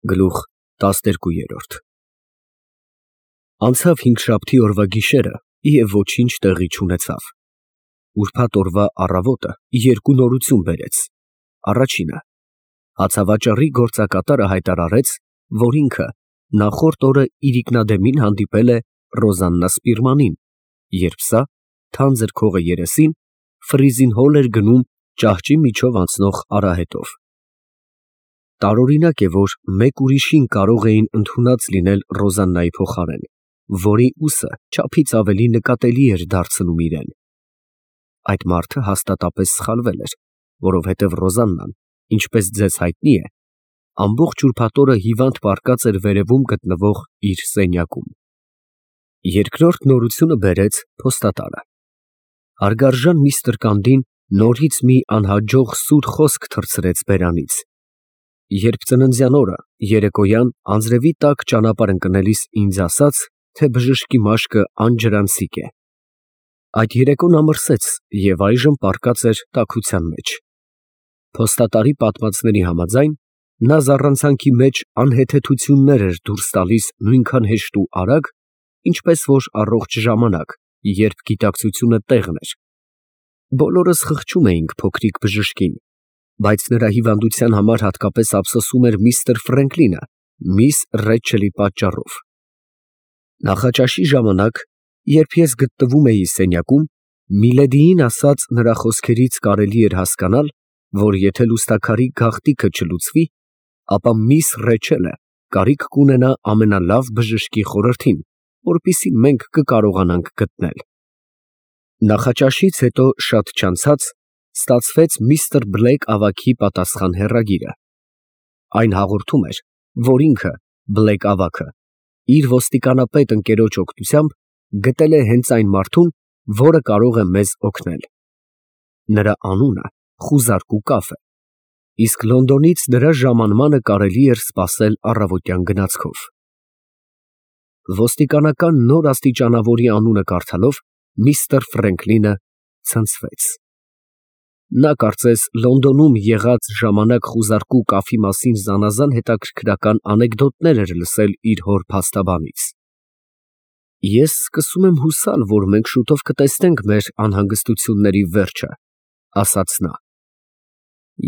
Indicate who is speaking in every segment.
Speaker 1: Գլուխ 12 Անցավ հինգշաբթի օրվա գիշերը և ոչինչ տեղի չունեցավ։ Ուրբաթ օրվա առավոտը երկու նորություն բերեց։ Առաջինը, հացավաճառի գործակատարը հայտարարեց, որ ինքը նախորդ օրը իրիկնադեմին հանդիպել է Ռոզաննա Սպիրմանին, երբ սա, թանձր քողը երեսին, ֆրիզին հոլ էր գնում ճահճի միջով անցնող արահետով։ Տարօրինակ է, որ մեկ ուրիշին կարող էին ընդունած լինել Ռոզաննայի փոխարեն, որի ուսը չափից ավելի նկատելի էր դարձնում իրեն։ Այդ մարդը հաստատապես սխալվել էր, որովհետև Ռոզաննան, ինչպես ձեզ հայտնի է, ամբողջ ուրբաթ օրը հիվանդ պառկած էր վերևում գտնվող իր սենյակում։ Երկրորդ նորությունը բերեց փոստատարը։ Հարգարժան միստր Կանդին նորից մի անհաջող սուր խոսք թռցրեց բերանից։ Երբ ծննդյան օրը երեկոյան անձրևի տակ ճանապարհ ընկնելիս ինձ ասաց, թե բժշկի մաշկը անջրանցիկ է։ Այդ երեկոն ամրսեց և այժմ պառկած էր տաքության մեջ։ Փոստատարի պատմածների համաձայն, նա զառանցանքի մեջ անհեթեթություններ էր դուրս տալիս նույնքան հեշտ ու արագ, ինչպես որ առողջ ժամանակ, երբ գիտակցությունը տեղն էր։ Բոլորս խղճում էինք փոքրիկ բժշկին, բայց նրա հիվանդության համար հատկապես ափսոսում էր միստր Ֆրենկլինը, միս Ռեչելի պատճառով։ Նախաճաշի ժամանակ, երբ ես գտնվում էի սենյակում, Միլեդիին ասած նրա խոսքերից կարելի էր հասկանալ, որ եթե լուստաքարի գաղտնիքը չլուծվի, ապա միս Ռեչելը կարիք կունենա ամենալավ բժշկի խորհրդին, որպեսզի մենք կկարողանանք գտնել։ Նախաճաշից հետո շատ չանցած ստացվեց միստր Բլեյք ավագի պատասխան հեռագիրը։ Այն հաղորդում էր, որ ինքը, Բլեյք ավագը, իր ոստիկանապետ ընկերոջ օգնությամբ գտել է հենց այն մարդուն, որը կարող է մեզ օգնել։ Նրա անունը Խուզարկու Կաֆ է, իսկ Լոնդոնից նրա ժամանմանը կարելի էր սպասել առավոտյան գնացքով։ Ոստիկանական նոր աստիճանավորի անունը կարդալով միստր Ֆրենկլինը ցնցվեց։ Նա կարծես Լոնդոնում եղած ժամանակ Խուզարկու Կաֆի մասին զանազան հետաքրքրական անեկդոտներ էր լսել իր հոր փաստաբանից։ Ես սկսում եմ հուսալ, որ մենք շուտով կտեսնենք մեր անհանգստությունների վերջը, ասաց նա։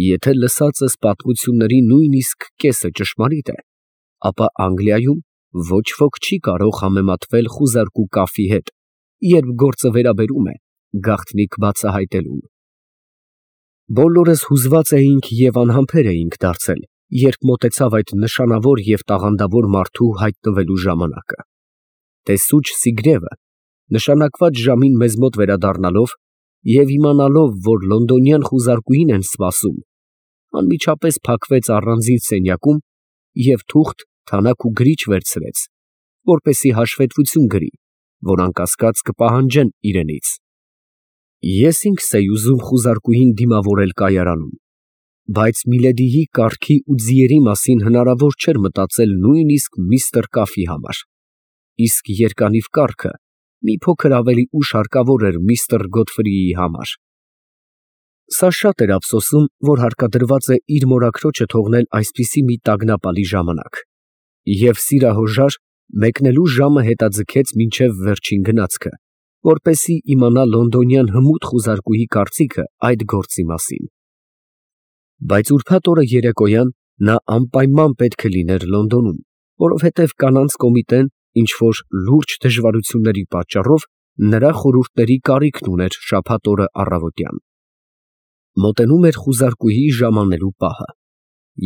Speaker 1: Եթե լսածս պատմությունների նույնիսկ կեսը ճշմարիտ է, ապա Անգլիայում ոչ ոք չի կարող համեմատվել Խուզարկու Կաֆի հետ, երբ գործը վերաբերում է գաղտնիք բացահայտելուն։ Բոլորս հուզված էինք և անհամբեր էինք դարձել, երբ մոտեցավ այդ նշանավոր և տաղանդավոր մարդու հայտնվելու ժամանակը։ Տեսուչ Սիգրևը նշանակված ժամին մեզ մոտ վերադառնալով և իմանալով, որ լոնդոնյան խուզարկուին են սպասում, անմիջապես փակվեց առանձին սենյակում և թուղթ, թանաք ու գրիչ վերցրեց, որպեսզի հաշվետվություն գրի, որ անկասկած կպահանջեն իրենից։ Ես ինքս էի ուզում խուզարկուհին դիմավորել կայարանում, բայց Միլեդիի կառքի ու ձիերի մասին հնարավոր չէր մտածել նույնիսկ միստր Կաֆի համար, իսկ երկանիվ կառքը մի փոքր ավելի ուշ հարկավոր էր միստր Գոդֆրիի համար։ Սա շատ էր ափսոսում, որ հարկադրված է իր մորաքրոջը թողնել այսպիսի մի տագնապալի ժամանակ, և սիրահորժար մեկնելու ժամը հետաձգեց մինչև վերջին գնացքը, որպեսզի իմանա լոնդոնյան հմուտ խուզարկուհի կարծիքը այդ գործի մասին։ Բայց ուրբաթ օրը երեկոյան նա անպայման պետք է լիներ Լոնդոնում, որովհետև կանանց կոմիտեն ինչ-որ լուրջ դժվարությունների պատճառով նրա խորհուրդների կարիքն ուներ շաբաթ օրը առավոտյան։ Մոտենում էր խուզարկուհի ժամանելու պահը,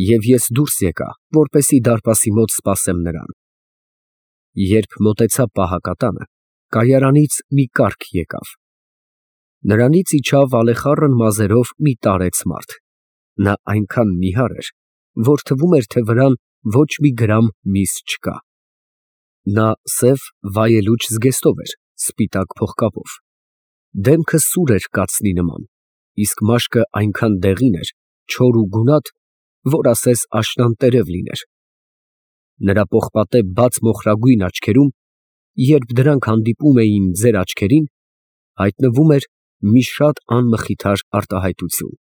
Speaker 1: և ես դուրս եկա, որպեսզի դարպասի մոտ սպասեմ նրան։ Երբ մոտեցա պահակատանը, կայարանից մի կառք եկավ։ Նրանից իջավ ալեխառն մազերով մի տարեց մարդ։ Նա այնքան նիհար էր, որ թվում էր, թե վրան ոչ մի գրամ միս չկա։ Նա սև վայելուչ զգեստով էր, սպիտակ փողկապով։ Դեմքը սուր էր կացնի նման, իսկ մաշկը այնքան դեղին էր, չոր ու գունատ, որ ասես աշնան տերև լիներ։ Նրա պողպատե բաց մոխրագույն աչքերում, երբ դրանք հանդիպում էին ձեր աչքերին, հայտնվում էր մի շատ անմխիթար արտահայտություն։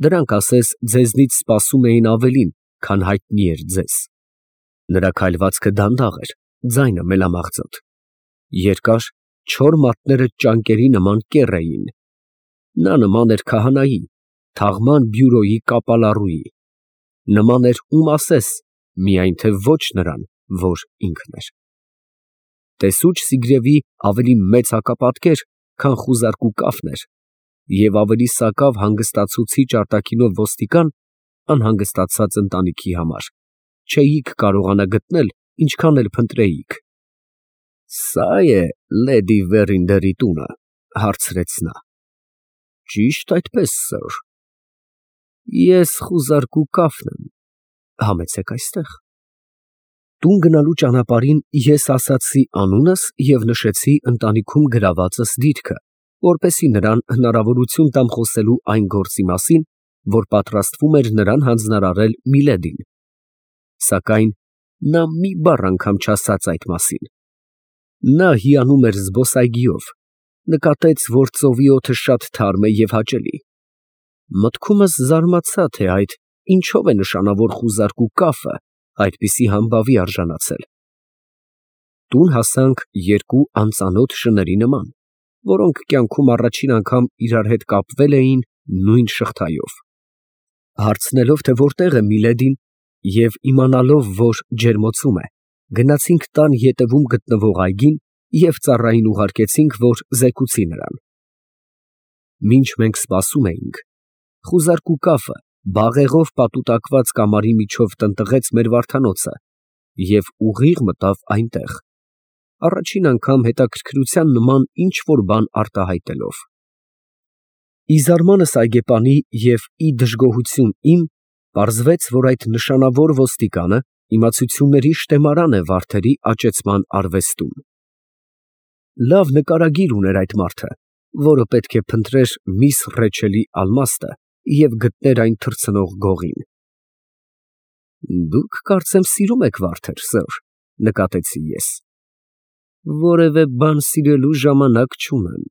Speaker 1: Դրանք ասես ձեզնից սպասում էին ավելին, քան հայտնի էր ձեզ։ Նրա քայլվածքը դանդաղ էր, ձայնը մելամաղձոտ։ Երկար, չոր մատները ճանկերի նման կեռ էին։ Նա նման էր քահանայի, թաղման բյուրոյի կապալառուի։ Նման էր ում ասես, միայն թե ոչ նրան, որ ինքն էր։ Տեսուչ Սիգրևի ավելի մեծ հակապատկեր, քան խուզարկու կաֆն էր, և ավելի սակավ հանգստացուցիչ արտաքինով ոստիկան, անհանգստացած ընտանիքի համար, չէիք կարողանա գտնել, ինչքան էլ փնտրեիք։ «Սա՞ է լեդի Վերինդերի տունը», հարցրեց նա։ «Ճիշտ այդպես, սըր»։ «Ես խուզարկու կաֆն եմ, համեցեք այստեղ»։ Տուն գնալու ճանապարհին ես ասացի անունս և նշեցի ընտանիքում գրավածս դիրքը, որպեսզի նրան հնարավորություն տամ խոսելու այն գործի մասին, որ պատրաստվում էր նրան հանձնարարել Միլեդին։ Սակայն նա մի բառ անգամ չասաց այդ մասին։ Նա հիանում էր զբոսայգիով, նկատեց, որ ծովի օդը շատ թարմ է և հաճելի։ Մտքումս զարմացա, թե այդ ինչով է նշանավոր խուզարկու կաֆը այդպիսի համբավի արժանացել։ Տուն հասանք երկու անծանոթ շների նման, որոնք կյանքում առաջին անգամ իրար հետ կապվել էին նույն շղթայով։ Հարցնելով, թե որտեղ է Միլեդին, և իմանալով, որ ջերմոցում է, գնացինք տան ետևում գտնվող այգին և ծառային ուղարկեցինք, որ զեկուցի նրան։ Մինչ մենք սպասում էինք, խուզարկու կաֆը բաղեղով պատուտակված կամարի միջով տնտղեց մեր վարդանոցը և ուղիղ մտավ այնտեղ, առաջին անգամ հետաքրքրության նման ինչ֊որ բան արտահայտելով։ Ի զարմանս այգեպանի և ի դժգոհություն իմ, պարզվեց, որ այդ նշանավոր ոստիկանը իմացությունների շտեմարան է վարդերի աճեցման արվեստում։ Լավ նկարագիր ուներ այդ մարդը, որը պետք է փնտրեր միս Ռեչելի ալմաստը և գտներ այն թռցնող գողին։ «Դուք, կարծեմ, սիրում եք վարդեր, սըր», նկատեցի ես։ «Որևէ բան սիրելու ժամանակ չունեմ»,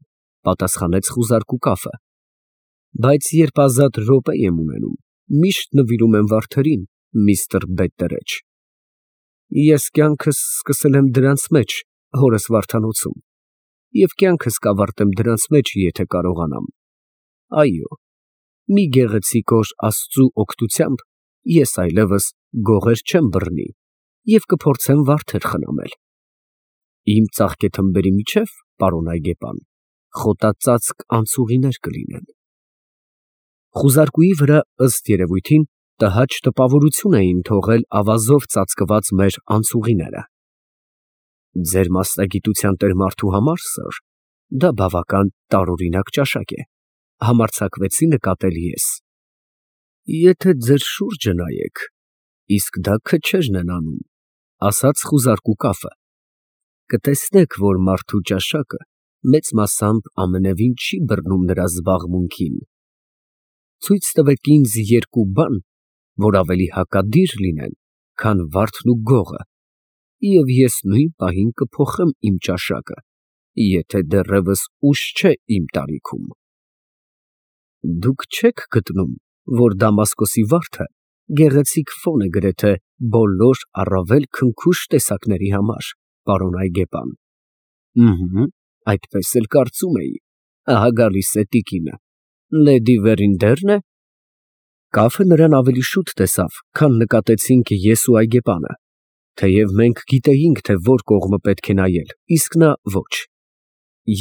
Speaker 1: պատասխանեց խուզարկու կաֆը, «բայց երբ ազատ րոպե եմ ունենում, միշտ նվիրում եմ վարդերին, միստր Բետտերեջ։ Ես կյանքս սկսել եմ դրանց մեջ, հորս վարդանոցում, և կյանքս կավարտեմ դրանց մեջ, եթե կարողանամ։ Այո, մի գեղեցիկ օր Աստծու օգնությամբ ես այլևս գողեր չեմ բռնի և կփորձեմ վարդեր խնամել։ Իմ ծաղկեթմբերի միջև, պարոն այգեպան, խոտածածկ անցուղիներ կլինեն»։ Խուզարկուի վրա, ըստ երևույթին, տհաճ տպավորություն էին թողել ավազով ծածկված մեր անցուղիները։ «Ձեր մասնագիտության տեր մարդու համար, սըր, դա բավական տարօրինակ ճաշակ է», համարձակվեցի նկատել ես։ «Եթե ձեր շուրջը նայեք, իսկ դա քչերն են անում», ասաց խուզարկու կաֆը, «կտեսնեք, որ մարդու ճաշակը մեծ մասամբ ամենևին չի բռնում նրա զբաղմունքին։ Ցույց տվեք ինձ երկու բան, որ ավելի հակադիր լինեն, քան վարդն ու գողը, և ես նույն պահին կփոխեմ իմ ճաշակը, եթե դեռևս ուշ չէ իմ տարիքում։ Դուք չե՞ք գտնում, որ Դամասկոսի վարդը գեղեցիկ ֆոն է գրեթե բոլոր առավել քնքուշ տեսակների համար, պարոն այգեպան»։ Այդպես էլ կարծում էի, ահա գալիս է տիկինը։ Լեդի Վերինդե՞ռն է։ Կաֆը նրան ավելի շուտ տեսավ, քան նկատեցինք ես ու այգեպանը, թեև մենք գիտեինք, թե որ կողմը պետք է նայել, իսկ նա ոչ։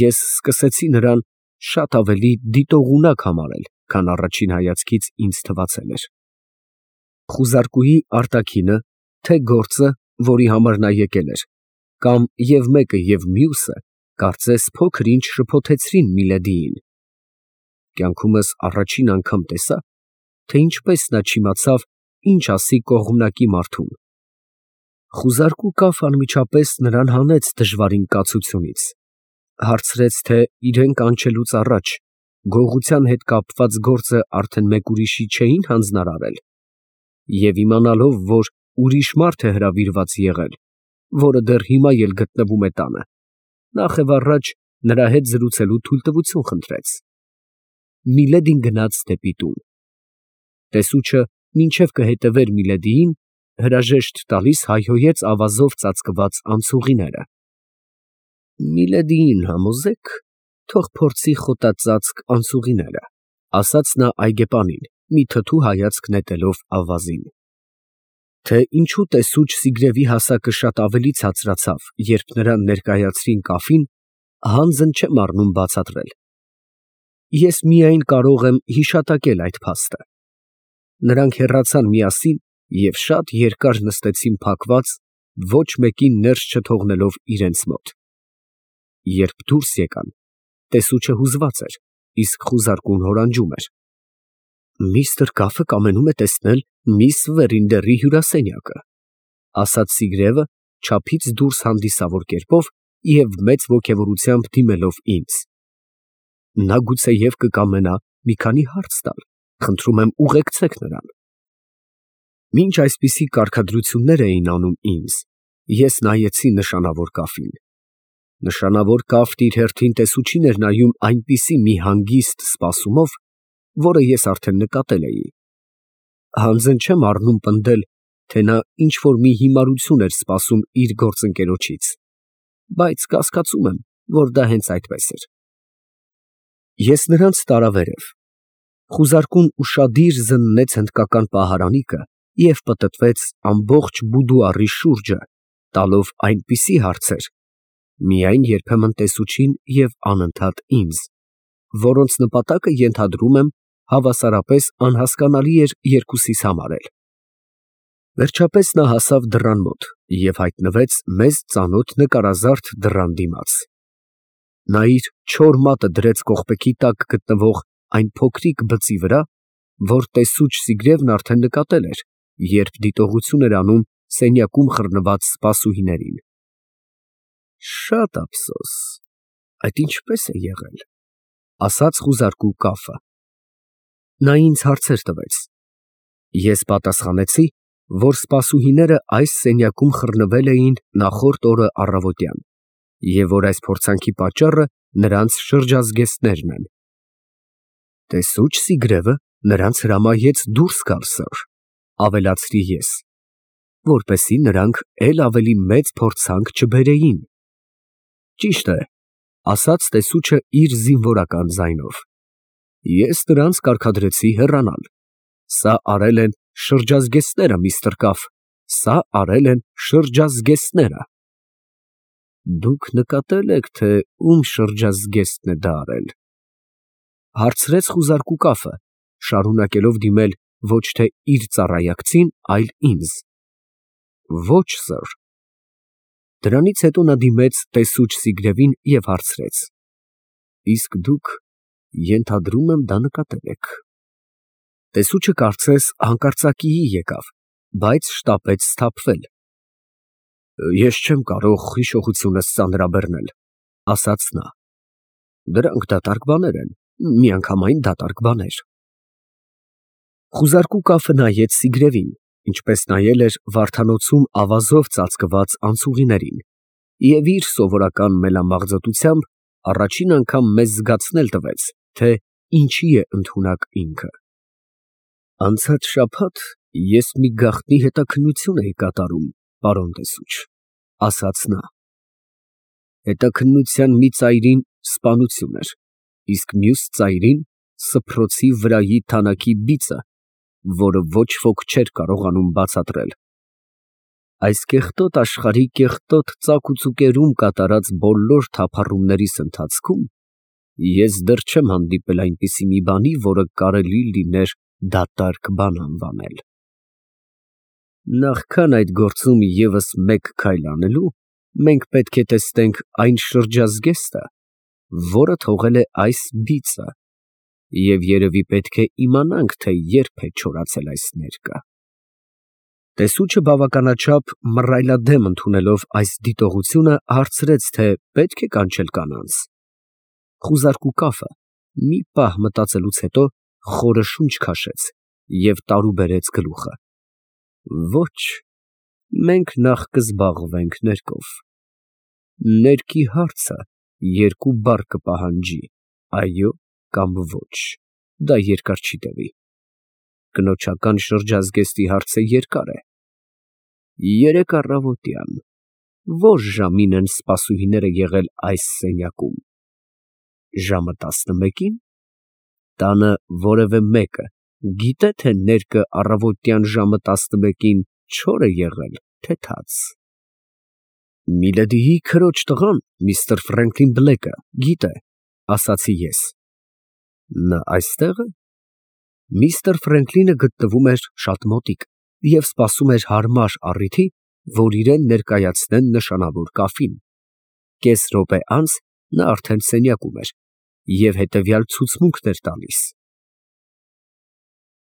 Speaker 1: Ես սկսեցի նրան շատ ավելի դիտողունակ համարել, քան առաջին հայացքից ինձ թվացել էր։ Խուզարկուի արտաքինը, թե գործը, որի համար նա եկել էր, կամ և մեկը և մյուսը, կարծես փոքր-ինչ շփոթեցրին Միլեդիին։ Կյանքումս առաջին անգամ տեսա, թե ինչպես նա չիմացավ, ինչ ասի կողմնակի մարդուն։ Խուզարկու կաֆն անմիջապես նրան հանեց դժվարին կացությունից, հարցրեց, թե իրեն կանչելուց առաջ գողության հետ կապված գործը արդեն մեկ ուրիշի չէին հանձնարարել, և իմանալով, որ ուրիշ մարդ է հրավիրված եղել, որը դեռ հիմա էլ գտնվում է տանը, նախևառաջ նրա հետ զրուցելու թույլտվություն խնդրեց։ Միլեդին գնաց դեպի տուն։ Տեսուչը մինչև կհետևեր Միլեդիին, հրաժեշտ տալիս հայհոյեց ավազով ծածկված անցուղիները։ Միլեդիին համոզեք, թող փորձի խոտածածկ անցուղիները, ասաց նա այգեպանին, մի թթու հայացք նետելով ավազին։ Թե ինչու տեսուչ Սիգրևի հասակը շատ ավելի ցածրացավ, երբ նրան ներկայացրին կաֆին, հանձն չեմ առնում բացատրել։ Ես միայն կարող եմ հիշատակել այդ փաստը։ Նրանք հեռացան միասին և շատ երկար նստեցին փակված, ոչ մեկին ներս չթողնելով իրենց մոտ։ Երբ դուրս եկան, տեսուչը հուզված էր, իսկ խուզարկուն հորանջում էր։ Միստր Կաֆը կամենում է տեսնել միս Վերինդերի հյուրասենյակը, ասաց Սիգրևը չափից դուրս հանդիսավոր կերպով և մեծ ոգևորությամբ դիմելով ինձ։ Նա գուցեև կկամենա մի քանի հարց տալ, խնդրում եմ ուղեկցեք նրան։ Մինչ այսպիսի կարգադրություններ էին անում ինձ, ես նայեցի նշանավոր կաֆին։ Նշանավոր կաֆն իր հերթին տեսուչին էր նայում այնպիսի մի հանգիստ սպասումով, որը ես արդեն նկատել էի։ Հանձն չեմ առնում պնդել, թե նա ինչ-որ մի հիմարություն էր սպասում իր գործընկերոջից, բայց կասկածում եմ, որ դա հենց այդպես էր։ Ես նրանց տարա վերև։ Խուզարկուն ուշադիր զննեց հնդկական պահարանիկը և պտտվեց ամբողջ բուդուարի շուրջը, տալով այնպիսի հարցեր, միայն երբեմն տեսուչին և անընդհատ ինձ, որոնց նպատակը, ենթադրում եմ, հավասարապես անհասկանալի էր երկուսիս համար էլ։ Վերջապես նա հասավ դռան մոտ և հայտնվեց մեզ ծանոթ նկարազարդ դռան դիմաց։ Նա իր չոր մատը դրեց կողպեքի տակ գտնվող այն փոքրիկ բծի վրա, որ տեսուչ Սիգրևն արդեն նկատել էր, երբ դիտողություն էր անում սենյակում խռնված սպասուհիներին։ Շատ ափսոս, այդ ինչպես է եղել, ասաց խուզարկու կաֆը։ Նա ինձ հարցեր տվեց։ Ես պատասխանեցի, որ սպասուհիները այս սենյակում խռնվել էին նախորդ օրը առավոտյան, և որ այս փորձանքի պատճառը նրանց շրջազգեստներն են։ Տեսուչ Սիգրևը նրանց հրամայեց դուրս գալ, սըր, ավելացրի ես, որպեսզի նրանք էլ ավելի մեծ փորձանք չբերեին։ Ճիշտ է, ասաց տեսուչը իր զինվորական ձայնով։ Ես նրանց կարգադրեցի հեռանալ։ Սա արել են շրջազգեստները, միստր Կաֆ, սա արել են շրջազգեստները։ Դուք նկատել եք, թե ում շրջազգեստն է դա արել, հարցրեց խուզարկու կաֆը, շարունակելով դիմել ոչ թե իր ծառայակցին, այլ ինձ։ Ոչ, սըր։ Դրանից հետո նա դիմեց տեսուչ Սիգրևին և հարցրեց. Իսկ դուք, ենթադրում եմ, դա նկատել եք։ Տեսուչը կարծես հանկարծակիի եկավ, բայց շտապեց սթափվել։ Ես չեմ կարող հիշողությունս ծանրաբեռնել, ասաց նա։ Դրանք դատարկ բաներ են, միանգամայն դատարկ բաներ։ Խուզարկու կաֆը նայեց Սիգրևին, ինչպես նայել էր վարդանոցում ավազով ծածկված անցուղիներին, և իր սովորական մելամաղձոտությամբ առաջին անգամ մեզ զգացնել տվեց, թե ինչի է ընդունակ ինքը։ Անցած շաբաթ ես մի գաղտնի հետաքննություն էի կատարում, պարոն տեսուչ, ասաց նա։ Հետաքննության մի ծայրին սպանություն էր, իսկ մյուս ծայրին սփռոցի վրայի թանաքի բիծը, որը ոչ ոք չէր կարողանում բացատրել։ Այս կեղտոտ աշխարհի կեղտոտ ծակուծուկերում կատարած բոլոր թափառումներիս ընթացքում ես դեռ չեմ հանդիպել այնպիսի մի բանի, որը կարելի լիներ դատարկ բան անվանել։ Նախքան այդ գործում ևս մեկ քայլ անելու, մենք պետք է տեսնենք այն շրջազգեստը, որը թողել է այս բիծը, և երևի պետք է իմանանք, թե երբ է չորացել այս ներկը։ Տեսուչը բավականաչափ մռայլադեմ ընդունելով այս դիտողությունը, հարցրեց, թե պետք է կանչել կանանց։ Խուզարկու կաֆը մի պահ մտածելուց հետո խորը շունչ քաշեց և տարուբերեց գլուխը։ Ոչ, մենք նախ կզբաղվենք ներկով։ Ներկի հարցը երկու բառ կպահանջի, այո կամ ոչ, դա երկար չի տևի։ Կնոջական շրջազգեստի հարցը երկար է։ Երեկ առավոտյան, ո՞ր ժամին են սպասուհիները եղել այս սենյակում։ Ժամը 11-ին։ Տանը որևէ մեկը գիտե՞, թե ներկը առավոտյան ժամը 11-ին չոր է եղել, թե թաց։ Միլեդիի քրոջ տղան, միստր Ֆրենքլին Բլեքը, գիտե, ասացի ես։ Նա այստե՞ղ է։ Միստր Ֆրենքլինը գտնվում էր շատ մոտիկ և սպասում էր հարմար առիթի, որ իրան ներկայացնեն նշանավոր կաֆին։ Կես րոպե անց նա արդեն սենյակում էր և հետևյալ ցուցմունքն էր տալիս։